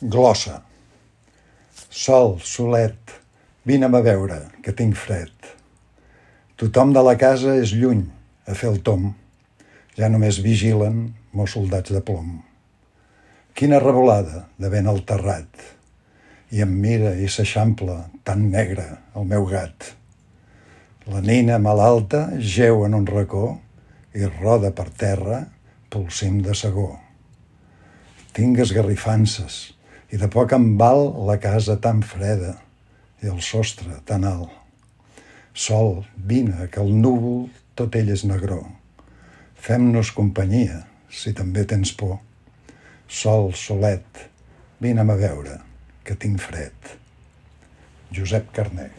Glossa. Sol, solet, vine'm a veure, que tinc fred. Tothom de la casa és lluny, a fer el tom. Ja només vigilen mos soldats de plom. Quina revolada de vent al terrat. I em mira i s'eixampla, tan negre, el meu gat. La nina malalta jeu en un racó i roda per terra pel cim de segó. Tinc esgarrifances i de poc em val la casa tan freda i el sostre tan alt. Sol, vine, que el núvol tot ell és negró. Fem-nos companyia, si també tens por. Sol, solet, vine'm a veure, que tinc fred. Josep Carner.